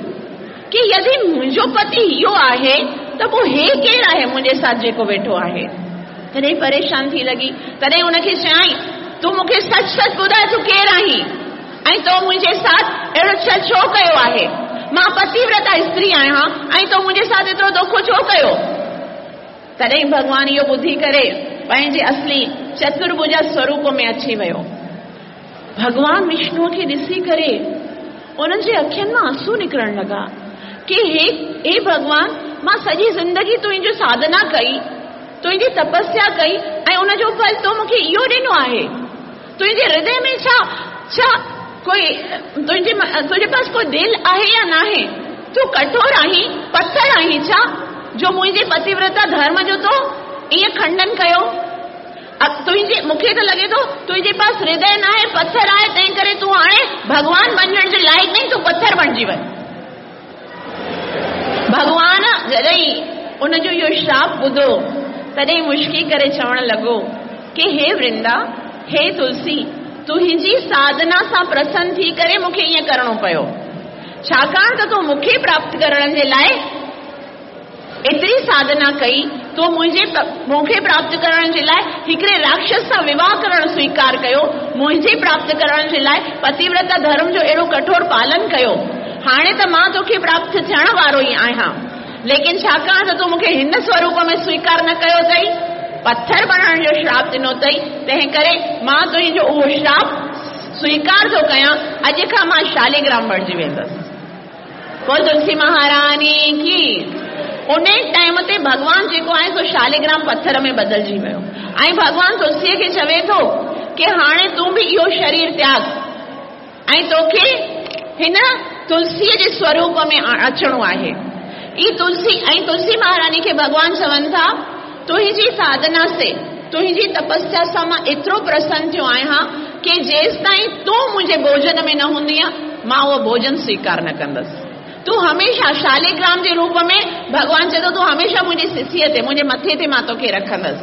कि यदि मुंहिंजो पति इहो आहे त पोइ हे केरु आहे मुंहिंजे साथ जेको वेठो आहे। तॾहिं परेशान थी लॻी। तॾहिं उनखे चयाईं, तूं मूंखे सच सच ॿुधाए तूं केरु आहीं ऐं तो मुंहिंजे साथ अहिड़ो छल छो कयो आहे? مان پتيورتا استري آهيان ۽ تو منهنجي ساٿ ايترو دوکو ڇو ڪيو؟ تڏهن ڀڳوان اهو ٻڌي ڪري پنهنجي اصلي چترڀجا سوروپ ۾ اچي ويو. ڀڳوان وشنوء کي ڏسي ڪري انهن جي اکين مان آنسو نڪرڻ لڳا ڪي هي هي ڀڳوان مان سڄي زندگي تنهنجي ساڌنا ڪئي، تنهنجي تپسيا ڪئي ۽ ان جو ڦل تو مون کي اهو ڏنو آهي. تنهنجي هردي ۾ ڇا ڇا ڪوئي تنهنجي تنهنجي پاس ڪوئي دل آهي يا ناهي؟ تون ڪٺور آهين، پٿر آهين ڇا جو منهنجي پتيورتا ڌرم جو تو ائين کنڊن ڪيو؟ تنهنجي مون کي ته لڳي ٿو تنهنجي پاس هردي ناهي، پٿر آهي، تنهن ڪري تون هاڻي ڀڳوان بنجڻ جي لائق ناهين، تون پٿر بڻجي وڃ. ڀڳوان جڏهن ان جو اهو شراپ ٻڌو، تڏهن مشڪي ڪري چوڻ لڳو ڪي هي ورندا، هي تلسي، تنهنجي ساڌنا سان پرسن ٿي ڪري مون کي ائين ڪرڻو پيو، ڇاڪاڻ ته تو مون کي پراپت ڪرڻ جي لاء ايتري ساڌنا ڪئي، تو منهنجي مون کي پراپت ڪرڻ جي لاء هڪڙي راڪشس سان وواهه ڪرڻ سويڪار ڪيو، منهنجي پراپت ڪرڻ جي لاء پتيورتا ڌرم جو اهڙو ڪٺور پالن ڪيو. هاڻي ته مان توکي پراپت ٿيڻ وارو ئي آهيان، ليڪن ڇاڪاڻ ته تو مون کي هن سوروپ ۾ سويڪار نه ڪيو اٿئي، پٿر بڻائڻ جو شراپ ڏنو اٿئي، تنهن ڪري مان تنهنجو اهو شراپ سويڪار ٿو ڪيان، اڄ کان مان شاليگرام بڻجي ويندس. بول تلسي مهاراني ڪي. انهي ٽائيم تي ڀڳوان جيڪو آهي سو شاليگرام پٿر ۾ بدلجي ويو ۽ ڀڳوان تلسيء کي چوي ٿو ڪي هاڻي تون به اهو شرير تياڳ ۽ توکي هن تلسيء جي سوروپ ۾ اچڻو آهي. اي تلسي ۽ تلسي مهاراني کي ڀڳوان چون ٿا تنهنجي ساڌنا سي تنهنجي تپسيا سان مان ايترو پرسن ٿيو آهيان ڪي جيستائين تون منهنجي ڀوڄن ۾ نه هوندينء مان اهو ڀوڄن سويڪار نه ڪندس. تون هميشه شاليگرام جي روپ ۾ ڀڳوان چئي ٿو تون هميشه منهنجي سسيء تي منهنجي مٿي تي مان توکي رکندس.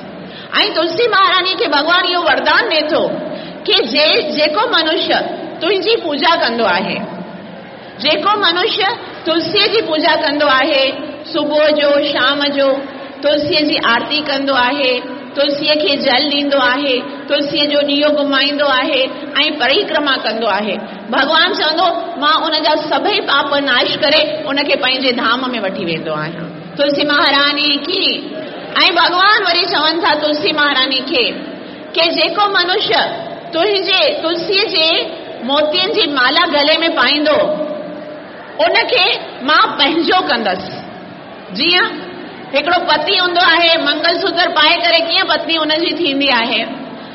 ۽ تلسي مهارانيء کي ڀڳوان اهو وردان ڏئي ٿو ڪي جي جيڪو منشيه تنهنجي پوڄا ڪندو آهي. جيڪو منشيه تلسيء جي پوڄا ڪندو آهي، صبح جو، شام جو تلسيء جي آرتي ڪندو آهي، تلسيء کي جل ڏيندو آهي، تلسيء جو ڏيئو گهمائيندو آهي ۽ پريڪرما ڪندو آهي. ڀڳوان چوندو، مان ان جا سڀئي پاپ ناش ڪري ان کي پنهنجي ڌام ۾ وٺي ويندو آهيان. تلسي مهاراني ڪي. ۽ ڀڳوان وري چون ٿا تلسي مهاراني کي ڪي جيڪو منشيه تنهنجي تلسيء جي موتين جي مالا گلي ۾ پائيندو، ان کي مان پنهنجو ڪندس. جيئن هڪڙو پتي هوندو آهي، منگل سوتر پائي ڪري ڪيئن پتني ان جي ٿيندي آهي،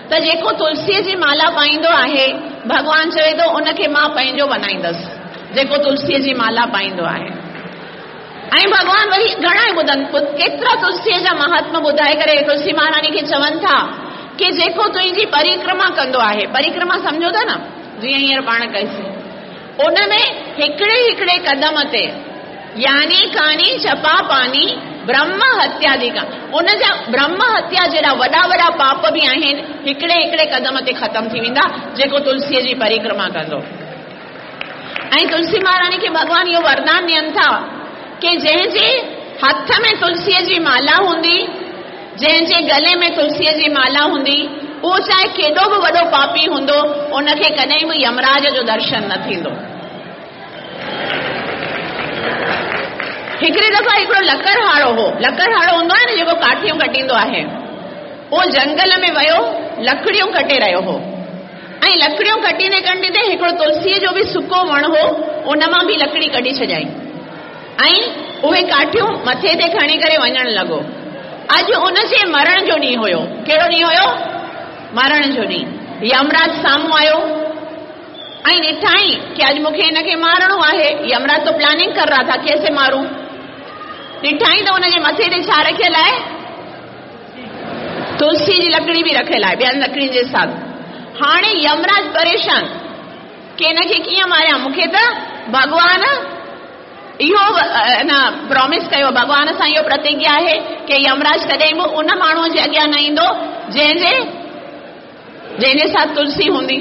ته جيڪو تلسيء جي مالا پائيندو آهي، ڀڳوان چوي ٿو، ان کي مان پنهنجو بنائيندس، جيڪو تلسيء جي مالا پائيندو آهي. ۽ ڀڳوان وري گهڻا ئي ٻڌن، ڪيترا تلسيء جا مهاتم ٻڌائي ڪري تلسي مهاراني کي چون ٿا ڪي جيڪو تنهنجي پريڪرما ڪندو آهي، پريڪرما سمجهو ٿا نه، جيئن هينئر پاڻ ڪئيسين، ان ۾ هڪڙي هڪڙي قدم تي يعني ڪاني چپا پاني برهم هتياديڪا، ان جا برهم هتيا جهڙا وڏا وڏا پاپ به آهن، هڪڙي هڪڙي قدم تي ختم ٿي ويندا، جيڪو تلسيء جي پريڪرما ڪندو. ۽ تلسي مهاراڻي کي ڀڳوان اهو وردان ڏين ٿا ڪي جنهن جي هٿ ۾ تلسيء جي مالا هوندي، جنهن جي گلي ۾ تلسيء جي مالا هوندي، اهو چاهي ڪيڏو به وڏو پاپي هوندو، ان کي ڪڏهن به يمراج جو درشن نه ٿيندو. هڪڙي دفعا هڪڙو لڪڙهاڙو هو. لڪڙهاڙو هوندو آهي نه جيڪو ڪاٺيون ڪٽيندو آهي. اهو جنگل ۾ ويو، لڪڙيون ڪٽي رهيو هو. ۽ لڪڙيون ڪٽيندي ڪٽيندي هڪڙو تلسيء جو به سڪو وڻ هو، ان مان به لڪڙي ڪڍي ڇڏيائين ۽ اهي ڪاٺيون مٿي تي کڻي ڪري وڃڻ لڳو. اڄ ان جي مرڻ جو ڏينهن هيو. ڪهڙو ڏينهن هيو؟ مرڻ جو ڏينهن. يمراج سامهون آيو ۽ ڏٺائين ڪي اڄ مون کي هن کي مارڻو آهي. يمراج تو پلاننگ ڪر رها ٿا ڪيسي مارون. ڏٺائين ته ان جي مٿي تي ڇا رکيل آهي؟ تلسي جي لڪڙي به رکيل آهي ٻين لڪڙين جي ساٿ. هاڻي يمراج پريشان ڪي هن کي ڪيئن ماريان مون کي ته ڀڳوان اهو نه پرامس ڪيو ڀڳوان سان اهو پرتگيا آهي ڪي يمراج ڪڏهن به ان ماڻهوء جي اڳيان نه ايندو جنهن جي جنهن جي ساٿ تلسي هوندي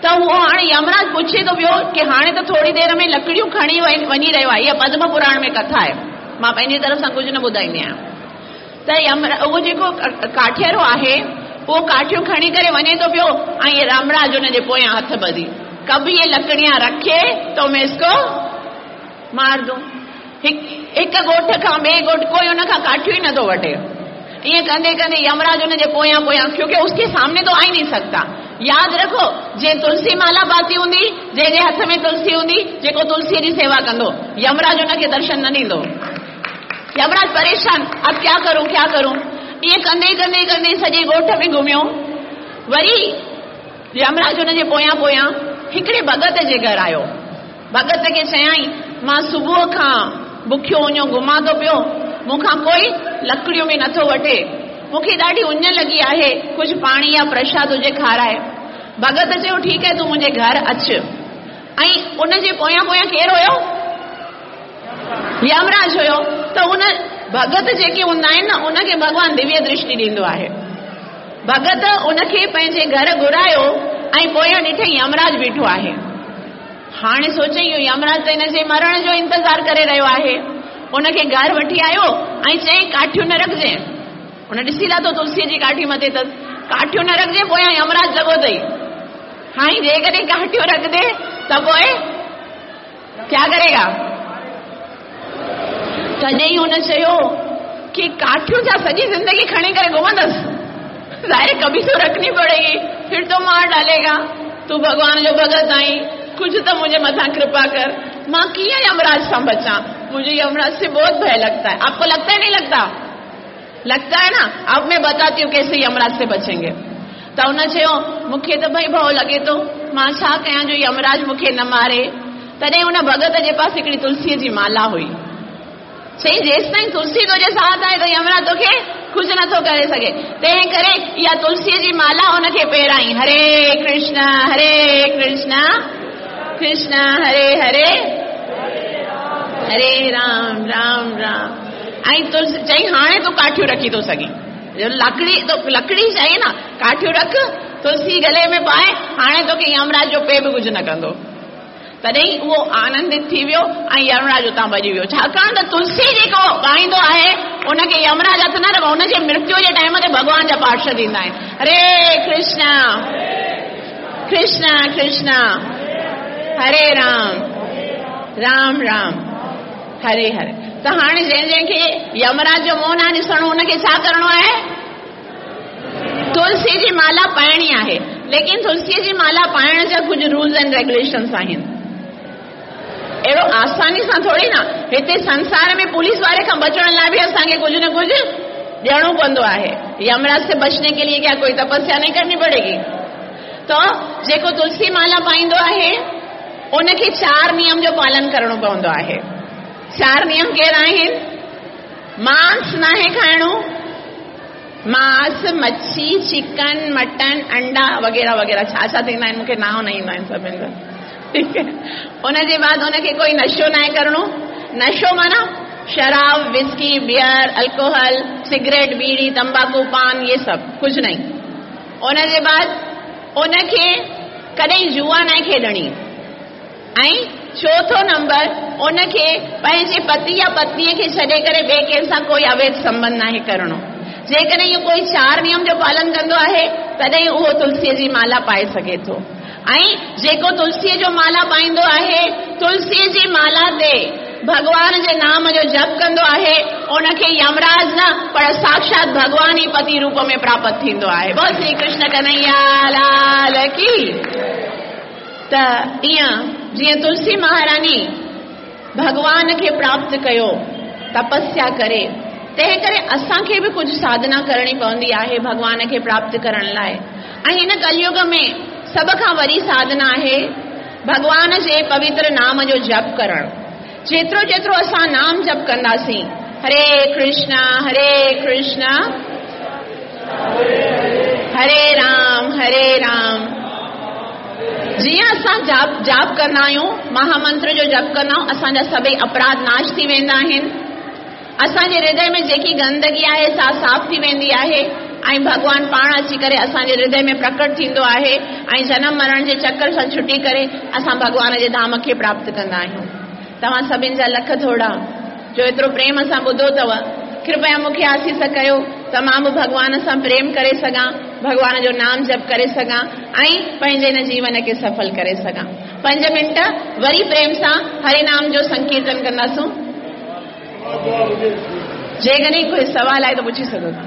ته اهو هاڻي يمراج پڇي ٿو پيو ڪي هاڻي ته ٿوري دير ۾ لڪڙيون کڻي وڃي رهيو آهي اها پدم پراڻ ۾ ڪٿا آهي مان پنهنجي طرف سان ڪجهه نه ٻڌائيندي آهيان ته اهو جيڪو ڪاٺيرو آهي اهو ڪاٺيون کڻي ڪري وڃي ٿو پيو ۽ يمراج ان جي پويان هٿ ٻڌي ڪب يي لڪڙيان رکي تو مين اس ڪو. मार दूं। हिकु ॻोठ खां ॿिए ॻोठ कोई उन खां काठियूं ई नथो वठे। ईअं कंदे कंदे यमराज उनजे पोयां पोयां, क्योंकि उसके सामने तो आ ही नहीं सकता। यादि रखो, जंहिं तुलसी माला पाती हूंदी, जंहिंजे हथ में तुलसी हूंदी, जेको तुलसीअ जी सेवा कंदो, यमराज उनखे दर्शन न ॾींदो। यमराज परेशान, अब क्या करूं क्या करूं। ईअं कंदे कंदे कंदे सॼे ॻोठ में घुमियो। वरी यमराज उनजे पोयां पोयां हिकिड़े भगत जे घर आयो। भगत खे चयाईं, मां सुबुह खां बुखियो उञो घुमां थो पियो, मूंखां कोई लकड़ियूं बि नथो वठे, मूंखे ॾाढी उञ लॻी आहे, कुझु पाणी या प्रसाद हुजे खाराए। भगत चयो, ठीकु आहे, तूं मुंहिंजे घर अच। ऐं उनजे पोयां पोयां केरु हुयो? यमराज हुयो। त उन भगत जेके हूंदा आहिनि न, उनखे भॻवानु दिव्य दृष्टि ॾींदो आहे। भगत उनखे पंहिंजे घर घुरायो ऐं पोयां ॾिठई यमराज बीठो आहे। हाणे सोचई, इहो यमराज त हिन जे मरण जो इंतज़ारु करे रहियो आहे। उनखे घर वठी आयो ऐं चयईं, काठियूं न रखिजे। हुन ॾिसी लाथो तुलसीअ जी काठी मथे अथसि, काठियूं न रखिजे, पोयां यमराज लॻो अथई। हाणे जेकॾहिं काठियूं रखदे त पोइ क्या करेगा? तॾहिं हुन चयो कि काठियूं छा सॼी ज़िंदगी खणी करे घुमंदसि? ज़ाहिर कभी तो रखनी पड़ेगी, फिर तो मार डालेगा। तूं भॻवान जो भगत आहीं, कुझु त मुंहिंजे मथां कृपा कर, मां कीअं यमराज सां बचां? मुझे यमराज से बहुत भय लगता है। आपको लगता है? नहीं लगता? लगता है ना? अब मैं बताती हूँ कैसे यमराज से बचेंगे। त हुन चयो, मूंखे त भई भउ लॻे थो, मां छा कयां जो यमराज मूंखे न मारे? तॾहिं हुन भगत जे पास हिकिड़ी तुलसीअ जी माला हुई। चई, जेसि ताईं तुलसी तुंहिंजे साथ आहे त यमराज तोखे कुझु नथो करे सघे, तंहिं करे इहा तुलसीअ जी माला हुनखे पहिराई। हरे कृष्ण हरे कृष्ण कृष्ण हरे हरे हरे राम राम राम। ऐं तुलसी चई, हाणे तूं काठियूं रखी थो सघीं, लकड़ी तो लकड़ी चाहिए ना, काठियूं रख, तुलसी गले में पाए, हाणे तोखे यमराज जो पे बि कुझु न कंदो। तॾहिं उहो आनंदित थी वियो ऐं यमराज उतां भॼी वियो। छाकाणि त तुलसी जेको पाईंदो आहे उनखे यमराज हथु न रखो, हुनजे मृत्यु जे टाइम ते भॻवान जा पार्षद ईंदा आहिनि। हरे कृष्ण कृष्ण कृष्ण हरे राम राम राम हरे हरे। त हाणे जंहिं जंहिंखे यमराज जो मुंहुं न ॾिसणो, हुनखे छा करिणो आहे? तुलसी जी माला पाइणी आहे। लेकिन तुलसीअ जी माला पाइण जा कुझु रूल्स एंड रेगुलेशंस आहिनि। अहिड़ो आसानी सां थोरी न, हिते संसार में पुलिस वारे खां बचण लाइ बि असांखे कुझु न कुझु ॾियणो पवंदो आहे। यमराज से बचने के लिए क्या कोई तपस्या नहीं करनी पड़ेगी? त जेको तुलसी माला पाईंदो आहे उनखे 4 नियम जो पालन करिणो पवंदो आहे। 4 नियम कहिड़ा आहिनि? मांस नाहे खाइणो, मांस, मच्छी, चिकन, मटन, अंडा वग़ैरह वग़ैरह छा छा थींदा आहिनि मूंखे नांव न ईंदा आहिनि सभिनि जा, ठीकु आहे। उनजे बाद उनखे कोई नशो नाहे करिणो। नशो माना शराब, विस्की, बियर, अल्कोहल, सिगरेट, बीड़ी, तंबाकू, पान, ये सब कुझु नहीं। उनजे बाद उनखे कॾहिं जुआ नाहे खेॾणी। ऐं चोथों नंबर, उनखे पंहिंजे पति या पत्नीअ खे छॾे करे ॿिए कंहिं सां कोई अवैध संबंध नाहे करिणो। जेकॾहिं इहो कोई 4 नियम जो पालन कंदो आहे तॾहिं उहो तुलसीअ जी माला पाए सघे थो। ऐं जेको तुलसीअ जो माला पाईंदो आहे, तुलसीअ जी माला ते भॻवान जे नाम जो जप कंदो आहे, उनखे यमराज न पर साक्षात भॻवान ई पति रूप में प्राप्त थींदो आहे। बोल श्री कृष्ण कन्हैया लाल की। त ईअं जीअं तुलसी महारानी भॻवान खे प्राप्त कयो तपस्या करे, तंहिं करे असांखे बि कुझु साधना करणी पवंदी आहे भॻवान खे प्राप्त करण लाइ। ऐं हिन कलयुग में सभ खां वॾी साधना आहे भॻवान जे पवित्र नाम जो जप करणु। जेतिरो जेतिरो असां नाम जप कंदासीं, हरे कृष्ण हरे कृष्ण हरे राम हरे राम, जीअं असां जाप कंदा आहियूं, महामंत्र जो जप कंदा आहियूं, असांजा सभई अपराध नाश थी वेंदा आहिनि। असांजे हृदय में जेकी गंदगी आहे सा साफ़ थी वेंदी आहे ऐं भॻवान पाण अची करे असांजे हृदय में प्रकट थींदो आहे ऐं जनम मरण जे चक्कर सां छुटी करे असां भॻवान जे धाम खे प्राप्त कंदा आहियूं। तव्हां सभिनि जा लख थोरा जो एतिरो प्रेम सां ॿुधो अथव। कृपया मूंखे आसीस कयो त मां बि भॻवान सां प्रेम करे सघां, भॻवान जो नाम जप करे सघां ऐं पंहिंजे हिन जीवन खे सफल करे सघां। पंज मिंट वरी प्रेम सां हरि नाम जो संकीर्तन कंदासूं। जेकॾहिं कोई सवाल आहे त पुछी सघो था।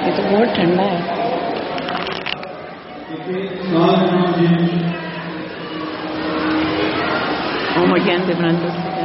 ये तो बहुत ठंडा है। ओम अज्ञान तिमिरांधस्य।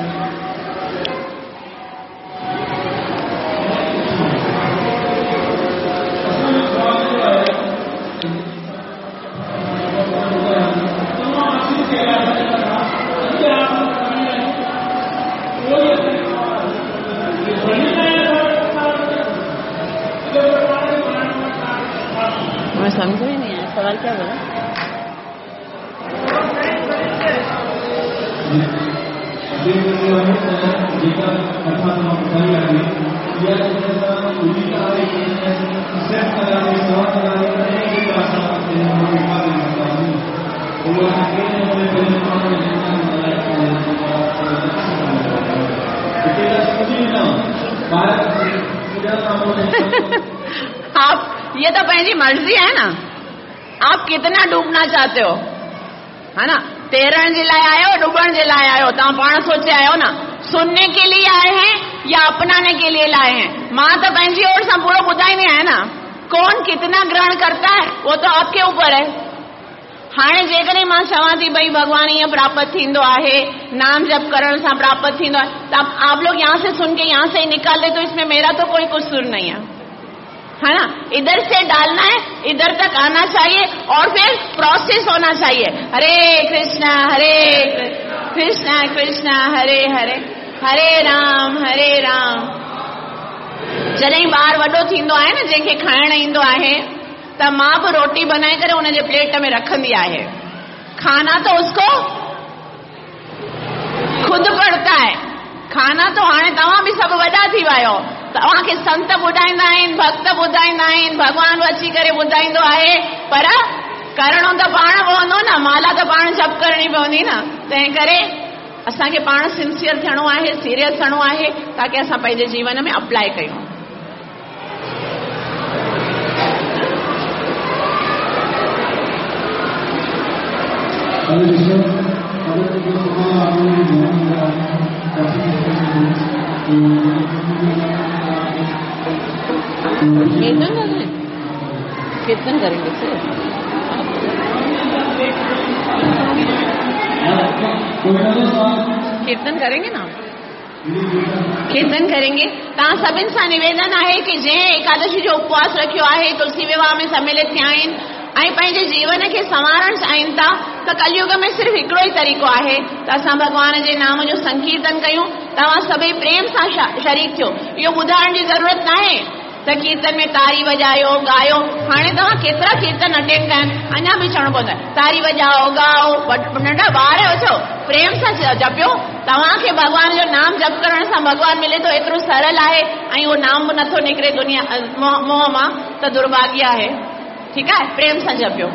मैं समझ में नहीं आया सवाल क्या बोला। आप ये तो पंहिंजी मर्जी आहे ना, आप कितना डूबना चाहते हो, है ना। तैरण जे लाइ आयो, डुबण जे लाइ आयो, तव्हां पाण सोचे आयो ना। सुनने के लिए आए हैं या अपनाने के लिए लाए हैं। मां त पंहिंजी ओर सां पूरो ॿुधाईंदी आहियां ना। कौन कितना ग्रहण करता है वो तो आपके ऊपर है। हाणे जेकॾहिं मां चवां थी भई भॻवान ईअं प्राप्त थींदो आहे, नाम जप करण सां प्राप्त थींदो आहे, त आप लोग यहाँ से सुन के यहाँ से ही निकाल दे तो इसमें मेरा तो कोई कसूर नहीं है, है ना। इधर से डालना है, इधर तक आना चाहिए और फिर प्रोसेस होना चाहिए। हरे कृष्णा हरे कृष्णा कृष्णा हरे हरे, हरे राम हरे राम। जॾहिं ॿार वॾो थींदो आहे न, जंहिंखे खाइण ईंदो आहे, त मां बि रोटी बनाए करे हुनजे प्लेट में रखंदी आहे। खाना तो उसको खुद पड़ता है। खाना तो हाणे तव्हां बि सभु वॾा थी विया आहियो, तव्हांखे संत ॿुधाईंदा आहिनि, भक्त ॿुधाईंदा आहिनि, भॻवान बि अची करे ॿुधाईंदो आहे, पर करणो त पाण पवंदो न, माला त पाण जप करणी पवंदी न। तंहिं करे असांखे पाण सिंसियर थियणो आहे, सीरियस थियणो आहे, ताकी असां पंहिंजे जीवन में अप्लाई कयूं। कीर्तन करेंगे, कीर्तन करेंगे सर। कीर्तन करेंगे ना, कीर्तन करेंगे। तव्हां सभिनि सां निवेदन आहे की जंहिं एकादशी जो उपवास रखियो आहे, तुलसी विवाह में सम्मिलित थिया आहिनि ऐं पंहिंजे जीवन खे संवारणु चाहिनि था, त कलयुग में सिर्फ़ु हिकिड़ो ई तरीक़ो आहे त असां भॻवान जे नाम जो संकीर्तन कयूं। तव्हां सभई प्रेम सां शरीक थियो। इहो ॿुधाइण जी ज़रूरत न आहे त कीर्तन में तारी वॼायो ॻायो। हाणे तव्हां केतिरा कीर्तन अटेंड कया आहिनि, अञा बि चवणो पवंदो आहे तारी वॼाओ ॻाओ। नंढा ॿार आहियो छो, प्रेम सां जपियो। तव्हांखे भॻवान जो नाम जप करण सां भॻवान मिले थो, एतिरो सरल आहे ऐं उहो नाम बि नथो निकिरे दुनिया मोह मां, त दुर्भाग्य आहे। ठीकु आहे, प्रेम सां जपियो।